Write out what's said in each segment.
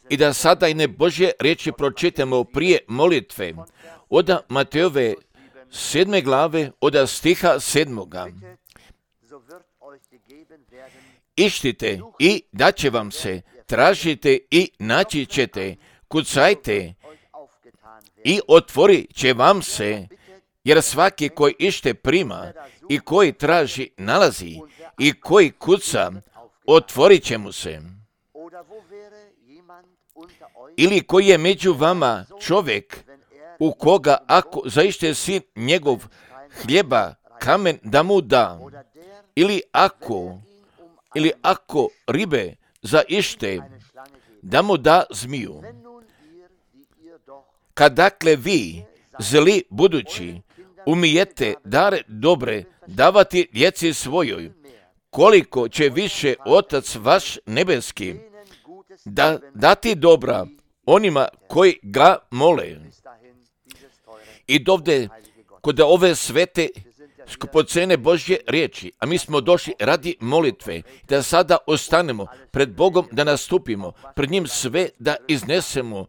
I da sada jedne Božje riječi pročitamo prije molitve od Matejove 7. glave, od stiha 7. Ištite i daće vam se, tražite i naći ćete, kucajte i otvorit će vam se, jer svaki koji ište prima i koji traži nalazi i koji kuca, otvorit će mu se. Ili koji je među vama čovjek u koga ako zaište sin njegov hljeba kamen da mu da, ili ako ribe zaište da mu da zmiju. Kad dakle vi, zli budući, umijete dare dobre davati djeci svojoj, koliko će više Otac vaš nebeski dati dobra onima koji ga mole. I dovde, kod ove svete skupocene Božje riječi, a mi smo došli radi molitve, da sada ostanemo pred Bogom, da nastupimo pred njim sve da iznesemo.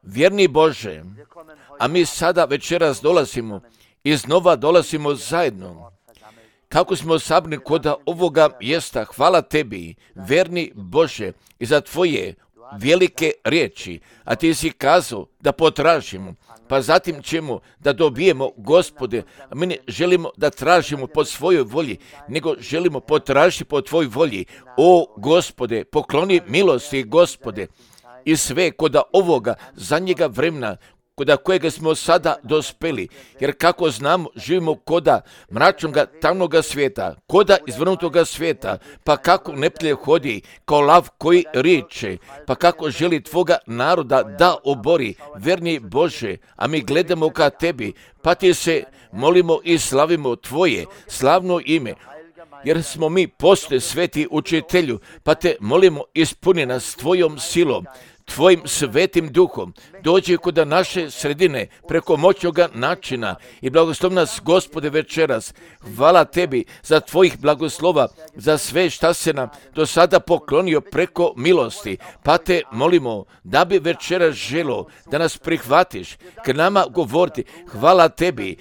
Vjerni Bože, a mi sada večeras dolazimo, iznova dolazimo zajedno. Kako smo sabrani kod ovoga mjesta, hvala tebi, verni Bože, i za tvoje velike riječi, a ti si kazao da potražimo, pa zatim ćemo da dobijemo, Gospode, a mi ne želimo da tražimo po svojoj volji, nego želimo potražiti po tvojoj volji. O Gospode, pokloni milosti, Gospode, i sve kod ovoga zadnjega vremena, kod kojega smo sada dospeli, jer kako znamo, živimo koda mračnoga, tamnoga svijeta, koda izvrnutoga svijeta, pa kako neprijatelj hodi kao lav koji riče, pa kako želi tvoga naroda da obori, verni Bože, a mi gledamo ka tebi, pa ti se molimo i slavimo tvoje slavno ime, jer smo mi postoje sveti učitelju, pa te molimo ispuni nas tvojom silom, tvojim svetim duhom, dođi kod naše sredine preko moćnoga načina i blagoslov nas, Gospode, večeras. Hvala tebi za tvojih blagoslova, za sve šta se nam do sada poklonio preko milosti, pa te molimo da bi večeras želo da nas prihvatiš, k nama govoriti. Hvala tebi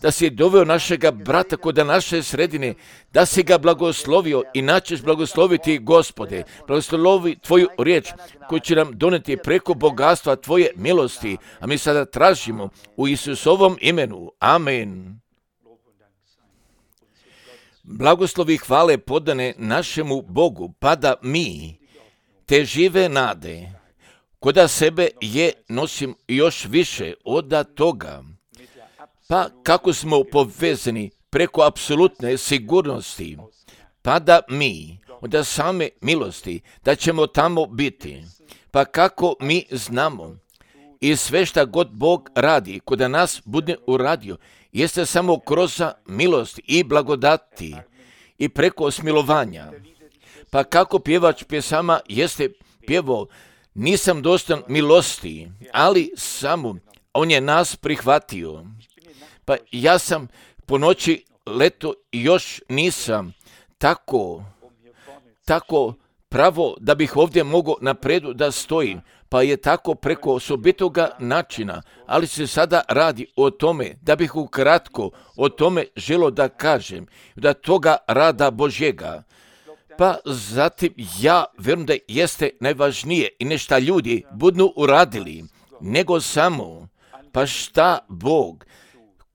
da si doveo našega brata kod naše sredine, da si ga blagoslovio i načeš blagosloviti, Gospode. Blagoslovi tvoju riječ koju će nam doneti preko bogatstva tvoje milosti, a mi sada tražimo u Isusovom imenu. Amen. Blagoslovi hvale podane našemu Bogu, pa da mi te žive nade koda sebe je nosim još više od toga. Pa kako smo povezani preko apsolutne sigurnosti, pa da mi od same milosti da ćemo tamo biti, pa kako mi znamo i sve šta god Bog radi kod nas bude uradio, jeste samo kroz milost i blagodati i preko smilovanja. Pa kako pjevač pjesama jeste pjevao, nisam dostan milosti, ali samo on je nas prihvatio. Pa ja sam po noći leto još nisam tako pravo da bih ovdje mogao napredu da stojim, pa je tako preko osobitoga načina, ali se sada radi o tome da bih ukratko o tome želo da kažem, da toga rada Božjega. Pa zatim ja vjerujem da jeste najvažnije i nešta ljudi budu uradili, nego samo pa šta Bog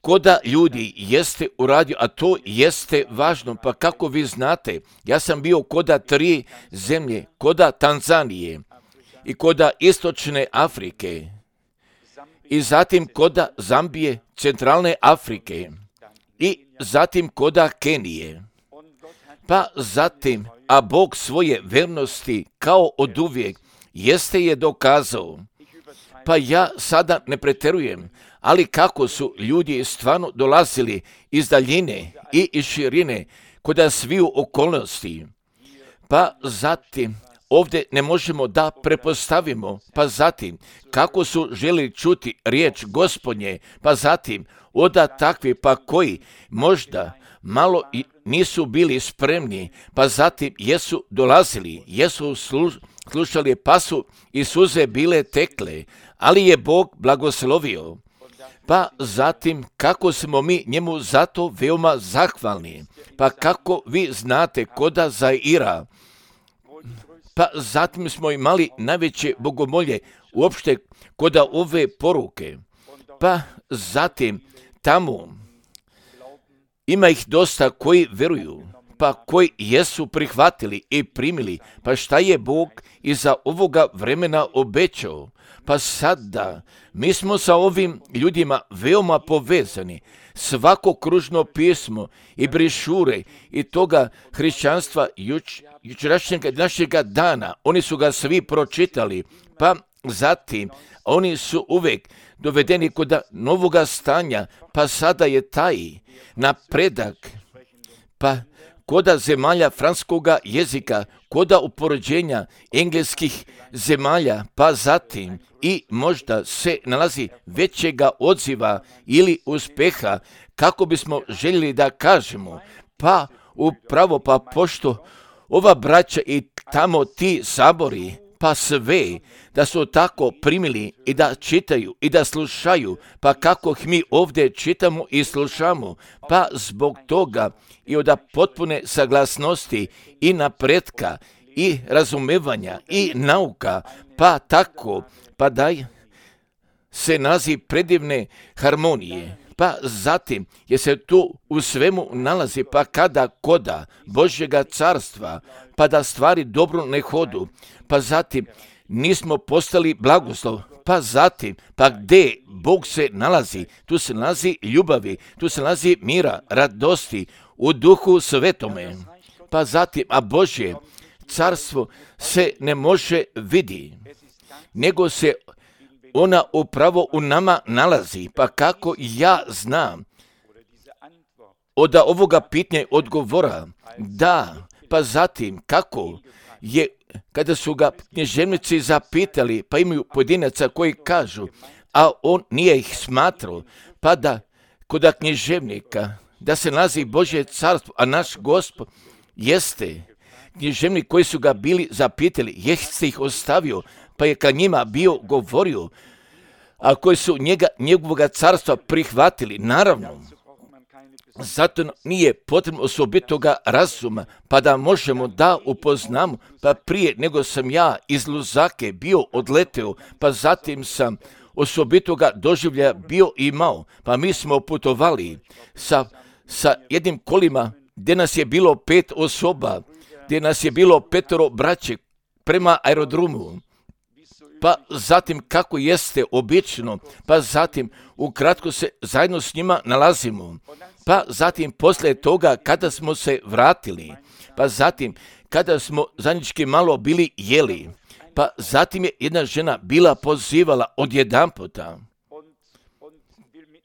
koda ljudi jeste uradio, a to jeste važno, pa kako vi znate, ja sam bio koda 3 zemlje, koda Tanzanije i koda Istočne Afrike i zatim koda Zambije, Centralne Afrike i zatim koda Kenije. Pa zatim, a Bog svoje vernosti kao oduvijek jeste je dokazao. Pa ja sada ne preterujem, ali kako su ljudi stvarno dolazili iz daljine i iz širine kod sviju okolnosti. Pa zatim, ovdje ne možemo da prepostavimo, pa zatim, kako su želi čuti riječ Gospodnje, pa zatim, oda takvi pa koji možda malo i nisu bili spremni, pa zatim jesu dolazili, jesu slušali, pa su i suze bile tekle, ali je Bog blagoslovio. Pa zatim kako smo mi njemu zato veoma zahvalni, pa kako vi znate koda Zaira, pa zatim smo imali najveće bogomolje uopšte koda ove poruke, pa zatim tamo ima ih dosta koji veruju, pa koji jesu prihvatili i primili, pa šta je Bog iza ovoga vremena obećao? Pa sada mi smo sa ovim ljudima veoma povezani. Svako kružno pismo i brišure i toga hrišćanstva jučerašnjega našega dana, oni su ga svi pročitali, pa zatim oni su uvek dovedeni kod novoga stanja, pa sada je taj napredak, pa koda zemalja francuskoga jezika, koda upoređenja engleskih zemalja, pa zatim i možda se nalazi većega odziva ili uspeha, kako bismo željeli da kažemo, pa upravo pa pošto ova braća i tamo ti sabori, pa sve, da su tako primili i da čitaju i da slušaju, pa kako ih mi ovdje čitamo i slušamo, pa zbog toga i od potpune saglasnosti i napretka i razumevanja i nauka, pa tako, pa daj se nazi predivne harmonije, pa zatim je se tu u svemu nalazi, pa kada koda Božjega carstva, pa da stvari dobro ne hodu, pa zatim nismo postali blagoslov, pa zatim, pa gdje Bog se nalazi, tu se nalazi ljubavi, tu se nalazi mira, radosti, u duhu svetome, pa zatim, a Božje carstvo se ne može vidi, nego se ona upravo u nama nalazi, pa kako ja znam od ovoga pitanja odgovora, da, pa zatim kako je, kada su ga književnici zapitali, pa imaju pojedinaca koji kažu, a on nije ih smatrao, pa da kod književnika, da se nalazi Božje carstvo, a naš Gospod jeste književnik koji su ga bili zapitali, jeste ih ostavio, pa je ka njima bio govorio, a koji su njegovoga carstva prihvatili, naravno. Zato nije potrebno osobitoga razuma, pa da možemo da upoznamo, pa prije nego sam ja iz Luzake bio odleteo, pa zatim sam osobitoga doživljaja bio imao, pa mi smo putovali sa jednim kolima gdje nas je bilo 5 osoba, gdje nas je bilo 5 braće prema aerodromu, pa zatim kako jeste obično, pa zatim ukratko se zajedno s njima nalazimo, pa zatim poslije toga kada smo se vratili, pa zatim kada smo zajednički malo bili jeli, pa zatim je jedna žena bila pozivala odjedanputa,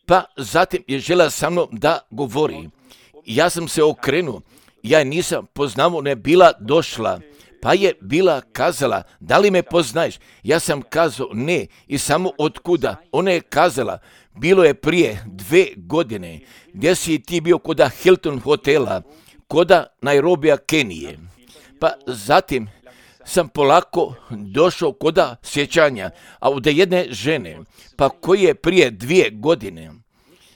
pa zatim je žela sa mnom da govori. Ja sam se okrenuo, ja je nisam poznao, ne bila došla, pa je bila kazala, da li me poznaješ? Ja sam kazao ne i samo otkuda. Ona je kazala, bilo je prije 2 godine, gdje si ti bio koda Hilton hotela, koda Nairobija, Kenije. Pa zatim sam polako došao koda sjećanja, a od jedne žene, pa koji je prije 2 godine,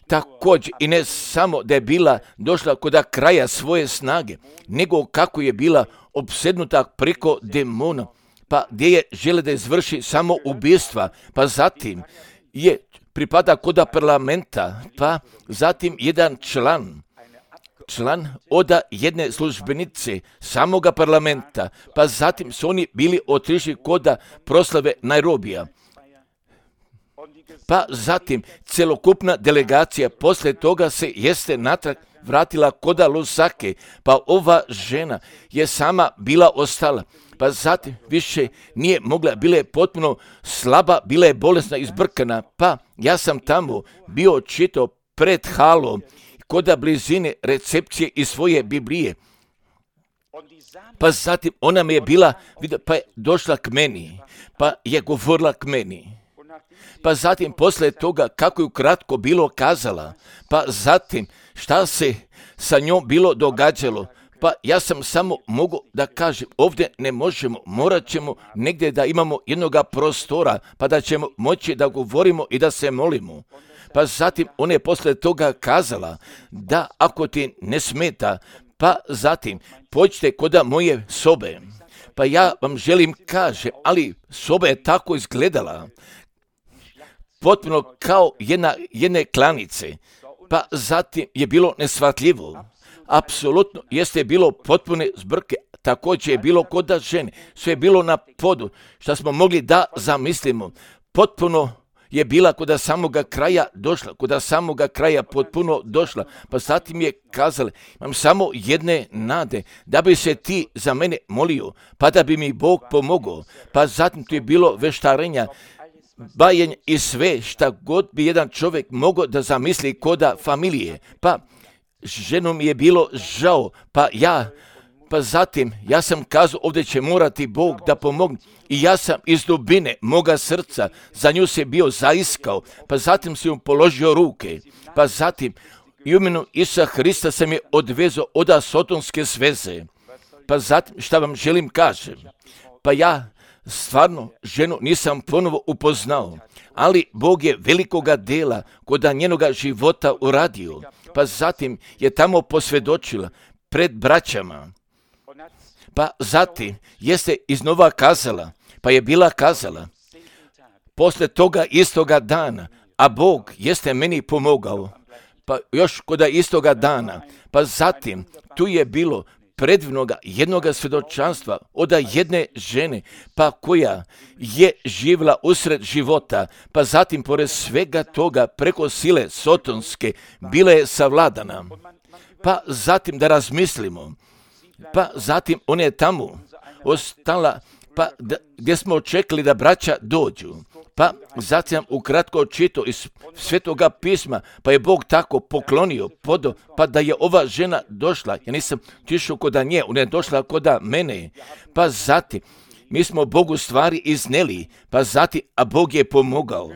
također i ne samo da je bila došla kod kraja svoje snage, nego kako je bila opsednuta preko demona, pa gdje je žele da izvrši samo ubistva, pa zatim je pripada kod parlamenta, pa zatim jedan član od jedne službenice samoga parlamenta, pa zatim su oni bili otišli kod proslave Nairobija. Pa zatim celokupna delegacija poslije toga se jeste natrag vratila kod Lusake, pa ova žena je sama bila ostala, pa zatim više nije mogla, bila je potpuno slaba, bila je bolesna, izbrkana, pa ja sam tamo bio čitao pred halom, kod blizine recepcije iz svoje Biblije, pa zatim ona mi je bila, pa je došla k meni, pa je govorila k meni. Pa zatim poslije toga kako je ukratko bilo kazala, pa zatim šta se sa njom bilo događalo. Pa ja sam samo mogu da kažem, ovdje ne možemo, morat ćemo negdje da imamo jednoga prostora, pa da ćemo moći da govorimo i da se molimo. Pa zatim ona je poslije toga kazala da ako ti ne smeta, pa zatim pođite kod moje sobe. Pa ja vam želim kažem, ali soba je tako izgledala, potpuno kao jedne klanice, pa zatim je bilo neshvatljivo. Apsolutno jeste bilo potpune zbrke, također je bilo kod žene, sve je bilo na podu, što smo mogli da zamislimo, potpuno je bila kod samoga kraja došla, kod samoga kraja potpuno došla, pa zatim je kazala, imam samo jedne nade, da bi se ti za mene molio, pa da bi mi Bog pomogao, pa zatim tu je bilo veštarenja, bajenje i sve šta god bi jedan čovjek mogao da zamisli koda familije, pa ženom je bilo žao, pa zatim ja sam kazao ovdje će morati Bog da pomogne i ja sam iz dubine moga srca za nju se bio zaiskao, pa zatim sam joj položio ruke, pa zatim i u imenu Isusa Hrista sam je odvezao od sotonske sveze, pa zatim šta vam želim kažem, pa ja stvarno ženu nisam ponovo upoznao, ali Bog je velikoga dela kod njenoga života uradio, pa zatim je tamo posvjedočila pred braćama, pa zatim jeste iznova kazala, pa je bila kazala, poslije toga istoga dana, a Bog jeste meni pomogao, pa još kod istoga dana, pa zatim tu je bilo predivnoga jednoga svjedočanstva od jedne žene, pa koja je živjela usred života, pa zatim pored svega toga preko sile sotonske bila je savladana. Pa zatim da razmislimo, pa zatim ona je tamo ostala, pa gdje smo očekali da braća dođu. Pa zatim ukratko čitao iz Svetoga pisma, pa je Bog tako poklonio pa da je ova žena došla. Ja nisam tišao kod nje, ona je došla kod mene. Pa zatim mi smo Bogu stvari izneli, pa zatim, a Bog je pomogao.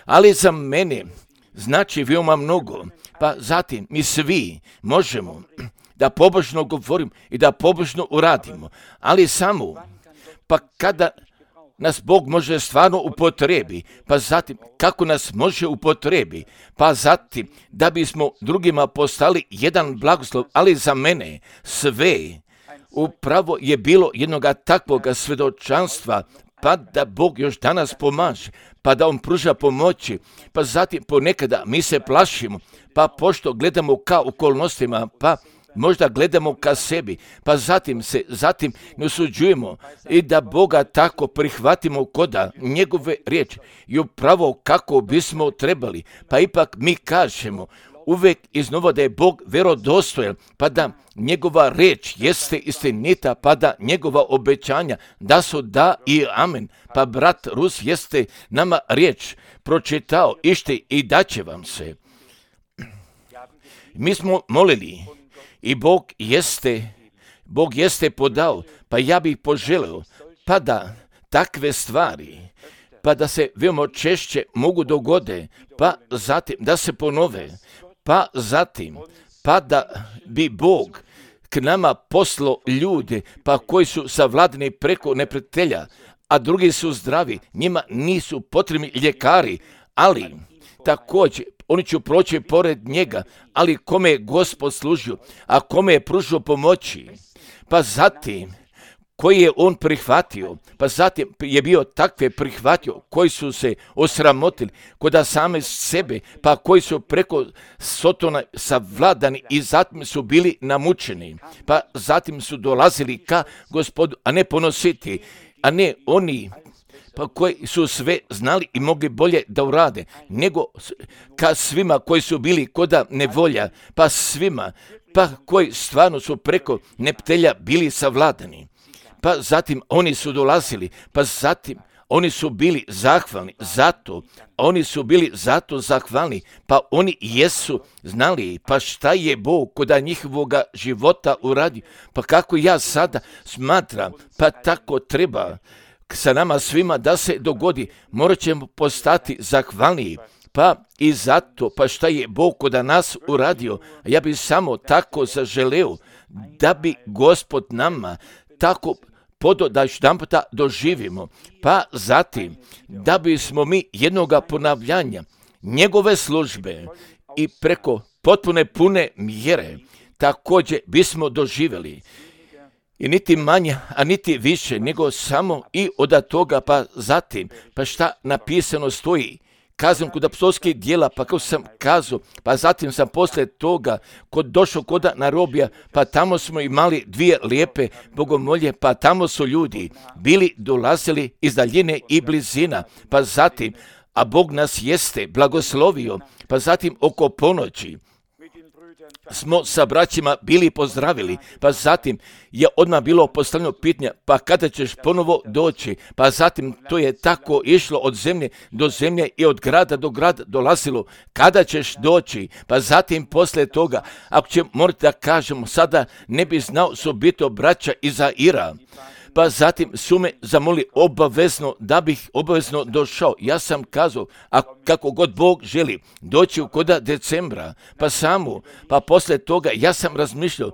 Ali za mene znači veoma mnogo, pa zatim mi svi možemo da pobožno govorimo i da pobožno uradimo, ali samo pa kada nas Bog može stvarno upotrebi, pa zatim kako nas može upotrebi, pa zatim da bismo drugima postali jedan blagoslov, ali za mene sve upravo je bilo jednoga takvoga svjedočanstva, pa da Bog još danas pomaže, pa da On pruža pomoći, pa zatim ponekada mi se plašimo, pa pošto gledamo ka okolnostima, pa možda gledamo ka sebi, pa zatim ne osuđujemo i da Boga tako prihvatimo koda njegove riječi i upravo kako bismo trebali, pa ipak mi kažemo uvijek iznova da je Bog vjerodostojan, pa da njegova riječ jeste istinita, pa da njegova obećanja da su da i amen. Pa brat Rus jeste nama riječ pročitao i daće vam se. Mi smo molili i Bog jeste podao, pa ja bih poželio, pa da takve stvari, pa da se veoma češće mogu dogode, pa zatim da se ponove, pa zatim, pa da bi Bog k nama poslao ljude, pa koji su savladani preko neprijatelja, a drugi su zdravi, njima nisu potrebni ljekari, ali također oni će proći pored njega, ali kome je Gospod služio, a kome je pružio pomoći, pa zatim koji je on prihvatio, pa zatim je bio takve prihvatio koji su se osramotili kod same sebe, pa koji su preko Sotona savladani i zatim su bili namučeni, pa zatim su dolazili ka Gospodu, a ne ponositi, a ne oni pa koji su sve znali i mogli bolje da urade, nego ka svima koji su bili koda nevolja, pa svima, pa koji stvarno su preko neptelja bili savladani. Pa zatim oni su dolazili, pa zatim oni su bili zahvalni zahvalni, pa oni jesu znali, pa šta je Bog kod njihovoga života uradio, pa kako ja sada smatram, pa tako treba sa nama svima da se dogodi, morat ćemo postati zahvalniji. Pa i zato, pa šta je Bog kod nas uradio, ja bih samo tako zaželeo da bi Gospod nama tako da jedan puta doživimo, pa zatim da bismo mi jednoga ponavljanja njegove službe i preko potpune pune mjere također bismo doživjeli. I niti manje, a niti više, nego samo i od toga, pa zatim, pa šta napisano stoji, kazam kod apostolskih djela, pa kako sam kazao, pa zatim sam poslije toga došao kod narobija, pa tamo smo imali dvije lijepe bogomolje, pa tamo su ljudi bili dolazili iz daljine i blizina, pa zatim, a Bog nas jeste blagoslovio, pa zatim oko ponoći smo sa braćima bili pozdravili, pa zatim je odmah bilo postavljeno pitanje, pa kada ćeš ponovo doći, pa zatim to je tako išlo od zemlje do zemlje i od grada do grada dolazilo, kada ćeš doći, pa zatim poslije toga, ako će morati da kažemo, sada ne bi znao su biti braća iz Zaira, pa zatim su me zamolili obavezno da bih obavezno došao. Ja sam kazao, a kako god Bog želi, doći u koda decembra, pa samo, pa poslije toga ja sam razmišljao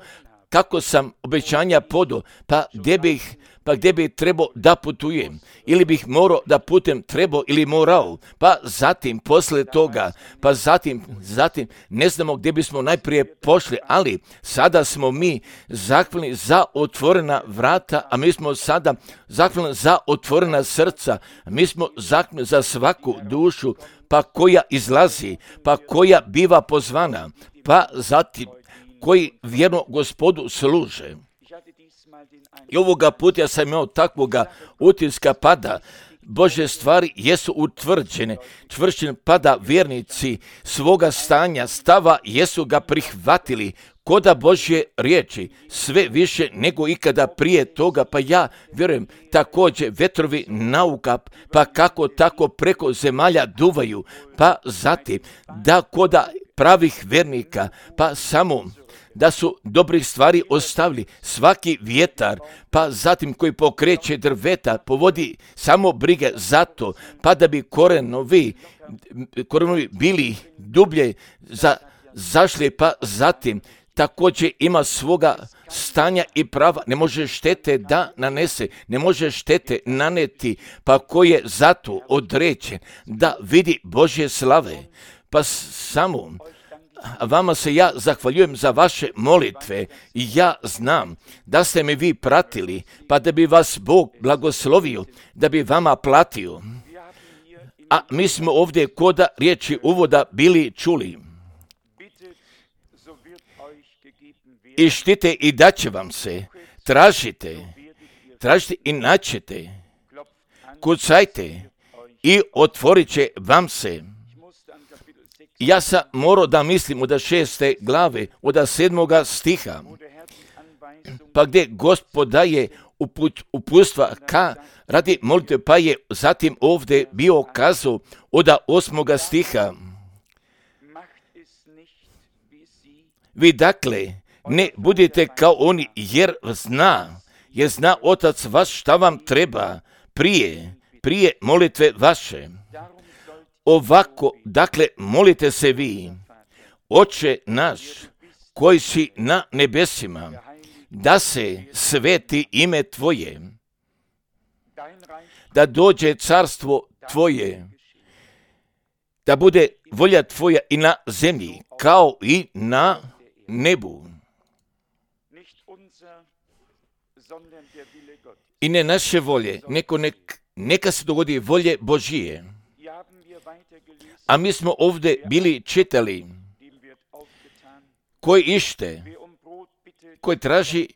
kako sam obećanja podao, pa gdje bih trebao da putujem, ili bih morao da putem trebao ili morao, pa zatim poslije toga, pa zatim ne znamo gdje bismo najprije pošli, ali sada smo mi zahvalni za otvorena vrata, a mi smo sada zahvalni za otvorena srca, mi smo zahvalni za svaku dušu, pa koja izlazi, pa koja biva pozvana, pa zatim koji vjerno Gospodu služe. I ovoga puta ja sam imao takvoga utiska pada, Božje stvari jesu utvrđene, čvršćene pada vjernici svoga stava jesu ga prihvatili, koda Božje riječi, sve više nego ikada prije toga, pa ja vjerujem također vetrovi nauka, pa kako tako preko zemalja duvaju, pa zatim da koda pravih vjernika, pa samo da su dobrih stvari ostavili, svaki vjetar, pa zatim koji pokreće drveta, povodi samo brige za to, pa da bi korenovi bili dublje zašli, pa zatim također ima svoga stanja i prava, ne može štete da nanese, ne može štete naneti, pa koji je zato određen da vidi Božje slave, pa samo vama se ja zahvaljujem za vaše molitve i ja znam da ste me vi pratili, pa da bi vas Bog blagoslovio, da bi vama platio. A mi smo ovdje koda riječi uvoda bili čuli. Ištite i daće vam se, tražite i naćete, kucajte i otvorit će vam se. Ja sam morao da mislim od 6. glave, od 7. stiha, pa gdje Gospod daje uputstva radi molitve, pa je zatim ovdje bio kazao od 8. stiha. Vi dakle ne budite kao oni, jer zna Otac vaš šta vam treba prije molitve vaše. Ovako, dakle, molite se vi, Oče naš, koji si na nebesima, da se sveti ime Tvoje, da dođe carstvo Tvoje, da bude volja Tvoja i na zemlji, kao i na nebu. I ne naše volje, neka se dogodi volje Božije. A mi smo ovdje bili čitali, koji ište, koji traži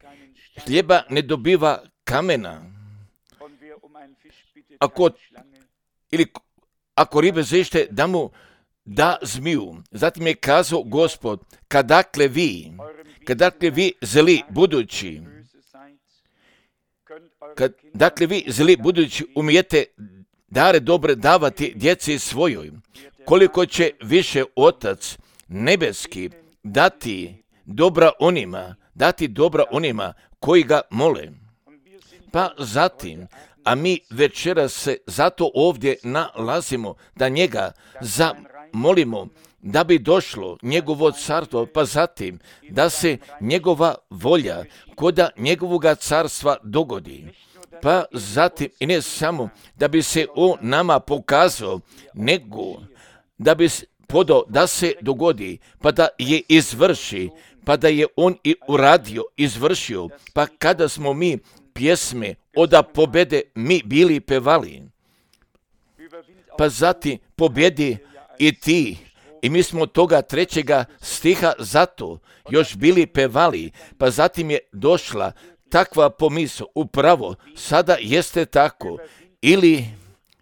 hljeba ne dobiva kamena. Ako ribe zaište, da mu da zmiju. Zatim je kazao Gospod, kadakle vi zli budući umijete dare dobre davati djeci svojoj, koliko će više Otac nebeski dati dobra onima koji ga mole. Pa zatim, a mi večeras se zato ovdje nalazimo, da njega zamolimo da bi došlo njegovo carstvo, pa zatim da se njegova volja koda njegovoga carstva dogodi. Pa zatim i ne samo da bi se on nama pokazao, nego da bi podao da se dogodi, pa da je izvrši, pa da je on i uradio, izvršio, pa kada smo mi pjesme oda pobede mi bili pevali, pa zatim pobjedi i ti, i mi smo toga 3. stiha zato još bili pevali, pa zatim je došla takva pomisao, upravo sada jeste tako,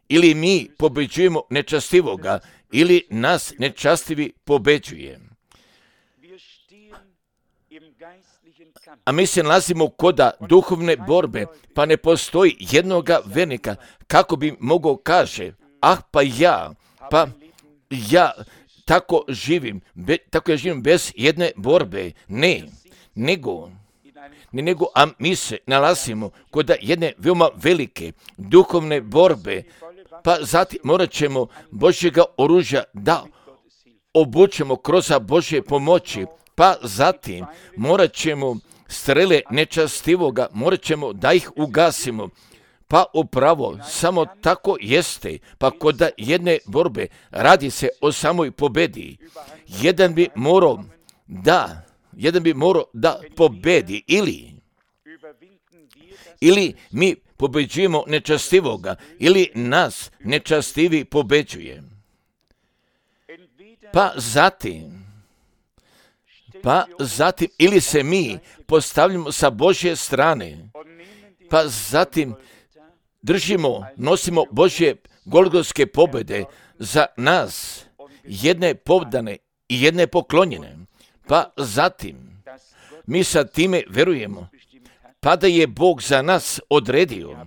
ili mi pobeđujemo nečastivoga, ili nas nečastivi pobeđuje. A mi se nalazimo koda duhovne borbe, pa ne postoji jednoga vernika, kako bi mogao kaže, pa ja tako živim bez jedne borbe. Ne, nego, a mi se nalazimo kod jedne veoma velike duhovne borbe, pa zatim morat ćemo Božjega oružja da obučemo kroz Božje pomoći, pa zatim morat ćemo strele nečastivoga, morat ćemo da ih ugasimo. Pa upravo samo tako jeste, pa kod jedne borbe radi se o samoj pobedi. Jedan bi morao da pobedi, ili mi pobeđujemo nečastivoga, ili nas nečastivi pobeđuje. Pa zatim ili se mi postavljamo sa Božje strane, pa zatim nosimo Božje golgotske pobjede za nas, jedne povdane i jedne poklonjene. Pa zatim mi sa time verujemo, pa da je Bog za nas odredio,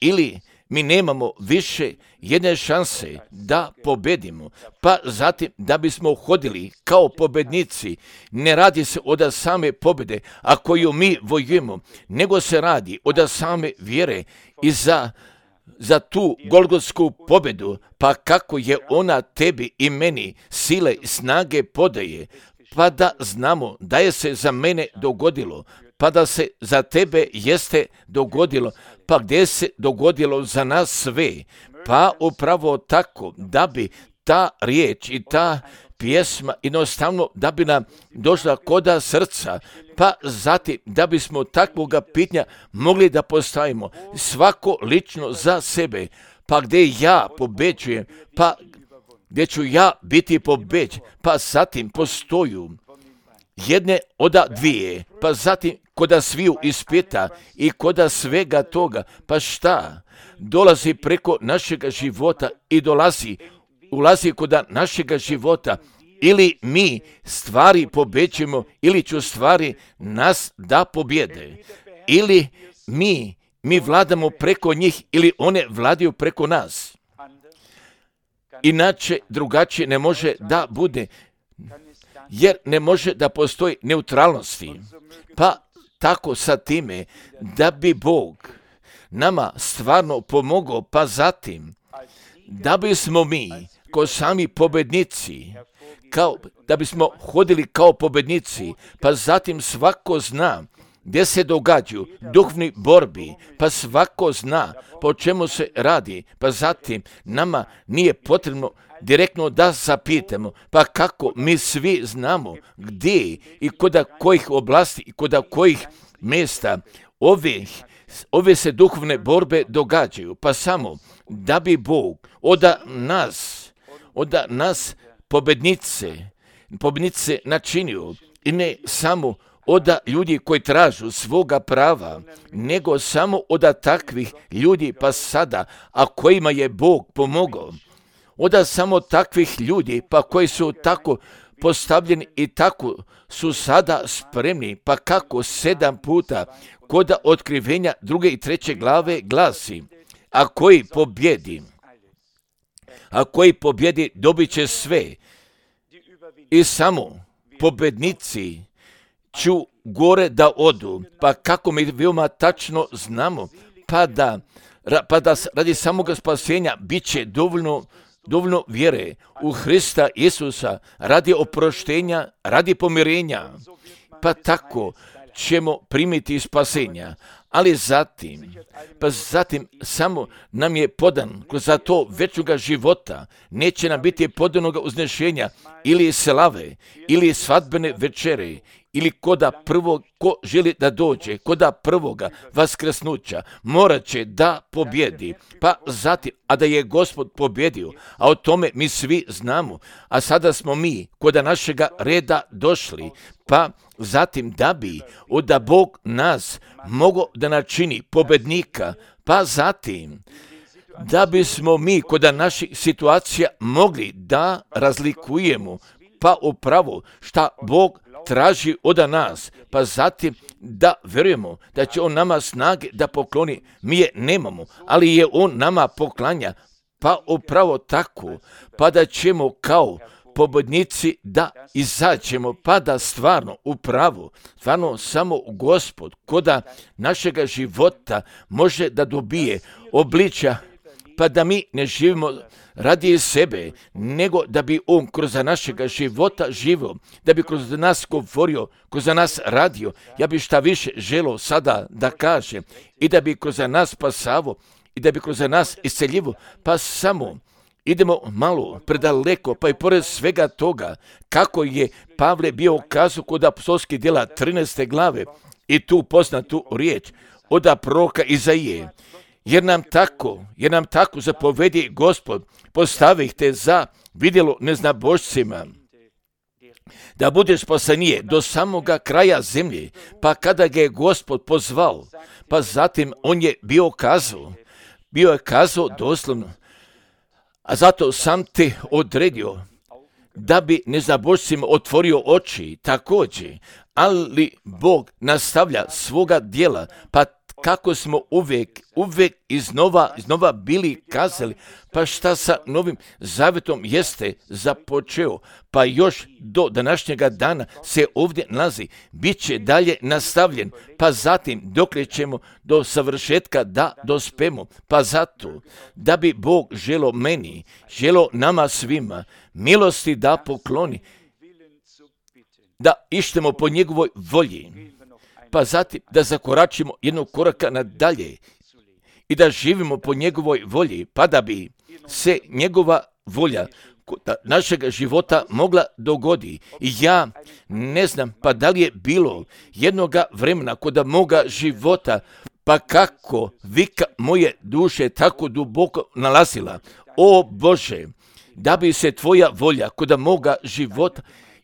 ili mi nemamo više jedne šanse da pobedimo, pa zatim da bismo hodili kao pobednici. Ne radi se od same pobjede, a koju mi vojujemo, nego se radi od same vjere i za tu golgotsku pobjedu, pa kako je ona tebi i meni sile i snage podaje, pa da znamo da je se za mene dogodilo, pa da se za tebe jeste dogodilo, pa gdje se dogodilo za nas sve, pa upravo tako da bi ta riječ i ta pjesma jednostavno da bi nam došla koda srca, pa zatim da bismo takvoga pitanja mogli da postavimo svako lično za sebe, pa gdje ja pobeđujem, pa gdje ću ja biti pobeđen, pa zatim postoju jedne od dvije, pa zatim koda sviju ispita i koda svega toga, pa šta? Dolazi preko našega života i ulazi koda našega života, ili mi stvari pobeđujemo, ili će stvari nas da pobjede, ili mi vladamo preko njih, ili one vladaju preko nas. Inače, drugačije ne može da bude, jer ne može da postoji neutralnosti. Pa tako sa time da bi Bog nama stvarno pomogao, pa zatim da bismo mi kao sami pobednici, da bismo hodili kao pobednici, pa zatim svako zna gdje se događaju duhovni borbi, pa svako zna po čemu se radi, pa zatim nama nije potrebno direktno da zapitamo, pa kako mi svi znamo gdje i koda kojih oblasti i koda kojih mjesta ove se duhovne borbe događaju, pa samo da bi Bog od nas pobjednice načinio, i ne samo od ljudi koji tražu svoga prava, nego samo od takvih ljudi, pa sada, a kojima je Bog pomogao, od samo takvih ljudi, pa koji su tako postavljeni i tako su sada spremni, pa kako 7 puta kod otkrivenja 2. i 3. glave glasi, a koji pobjedi dobit će sve, i samo pobjednici ću gore da odu, pa kako mi veoma tačno znamo, pa da pa da radi samoga spasenja bit će dovoljno vjere u Hrista Isusa, radi oproštenja, radi pomirenja, pa tako ćemo primiti spasenja. Ali zatim samo nam je podan kroz to večnoga života, neće nam biti podanoga uznešenja ili slave, ili svadbene večere, ili ko želi da dođe, koda prvoga vaskrsnuća, morat će da pobjedi. Pa zatim, a da je Gospod pobjedio, a o tome mi svi znamo, a sada smo mi koda našega reda došli, pa zatim da Bog nas mogo da načini pobednika, pa zatim da bismo mi koda naših situacija mogli da razlikujemo, pa upravo šta Bog traži od nas, pa zatim da vjerujemo da će On nama snage da pokloni. Mi je nemamo, ali je On nama poklanja, pa upravo tako, pa da ćemo kao pobjednici da izađemo, pa da stvarno samo Gospod koda našega života može da dobije obličja, pa da mi ne živimo radi sebe, nego da bi On kroz našega života živio, da bi kroz nas govorio, kroz nas radio. Ja bi šta više želio sada da kažem i da bi kroz nas spasavo i da bi kroz nas isceljivo, pa samo idemo malo predaleko, pa i pored svega toga, kako je Pavle bio kazao kod apostolskih djela 13. glave i tu poznatu riječ od proroka Izaije. Jer nam tako zapovedi Gospod, postavi ih te za vidjelo neznabošcima, da budeš spasenije do samoga kraja zemlje, pa kada ga je Gospod pozvao, pa zatim on je bio kazao doslovno, a zato sam te odredio da bi neznabošcima otvorio oči također, ali Bog nastavlja svoga djela, pa kako smo uvijek iznova bili kazali, pa šta sa Novim Zavjetom jeste započeo, pa još do današnjega dana se ovdje nalazi, bit će dalje nastavljen, pa zatim dokle ćemo do savršetka da dospemo, pa zato da bi Bog želo nama svima milosti da pokloni, da ištemo po njegovoj volji, pa zatim da zakoračimo jednog koraka nadalje i da živimo po njegovoj volji, pa da bi se njegova volja našeg života mogla dogodi. I ja ne znam pa da li je bilo jednoga vremena kod moga života, pa kako vika moje duše tako duboko nalazila. O Bože, da bi se tvoja volja kod moga života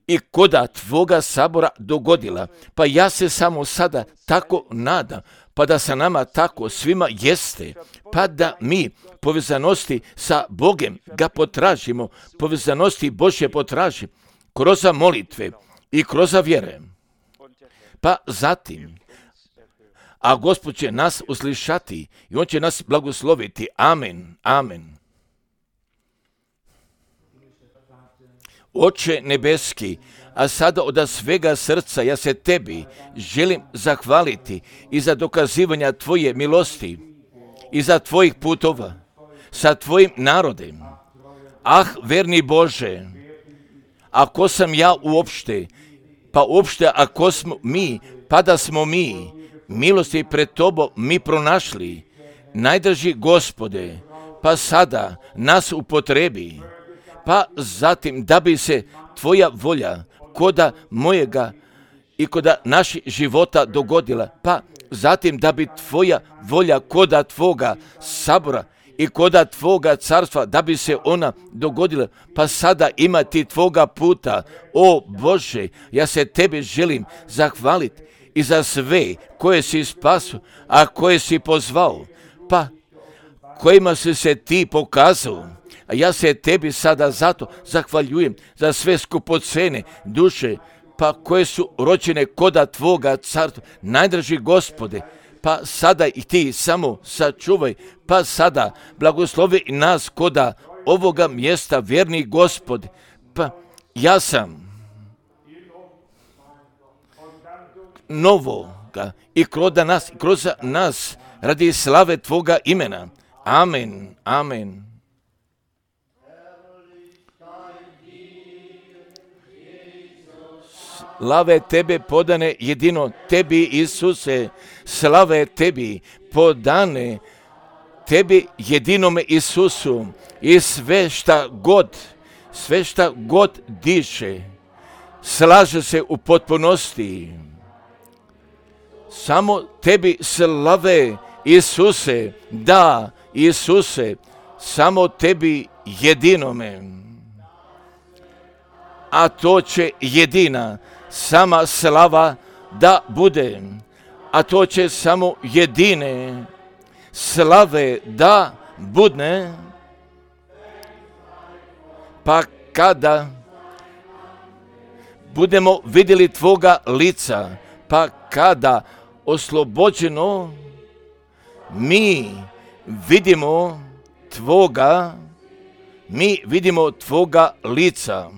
i koda tvoga sabora dogodila. Pa ja se samo sada tako nadam, pa da sa nama tako svima jeste, pa da mi povezanosti sa Bogem ga potražimo, povezanosti Božje potražimo kroz molitve i kroz vjere. Pa zatim, a Gospod će nas uslišati i On će nas blagosloviti. Amen, amen. Oče nebeski, a sada od svega srca ja se tebi želim zahvaliti i za dokazivanja tvoje milosti i za tvojih putova sa tvojim narodem. Ah, verni Bože, ako sam ja uopšte, pa uopšte ako smo mi, pa da smo mi milosti pred tobom mi pronašli, najdrži Gospode, pa sada nas upotrebi, pa zatim da bi se tvoja volja koda mojega i koda naših života dogodila, pa zatim da bi tvoja volja koda tvoga sabora i koda tvoga carstva, da bi se ona dogodila, pa sada imati tvoga puta. O Bože, ja se tebi želim zahvaliti i za sve koje si spasio, a koje si pozvao, pa kojima si se ti pokazao. A ja se tebi sada zato zahvaljujem za sve skupocene duše, pa koje su rođene koda tvoga carstva, najdrži Gospode, pa sada i ti samo sačuvaj, pa sada blagoslovi nas koda ovoga mjesta, vjerni Gospode, pa ja sam novoga i kroz nas radi slave Tvoga imena. Amen, amen. Slave Tebe podane jedino Tebi, Isuse, slave Tebi podane Tebi jedinome Isusu i sve šta god diše, slaže se u potpunosti. Samo Tebi slave, Isuse, da, Isuse, samo Tebi jedinome. A to će jedina, sama slava da bude, a to će samo jedine slave da budne, pa kada budemo vidjeli Tvoga lica, pa kada oslobođeno mi vidimo Tvoga lica.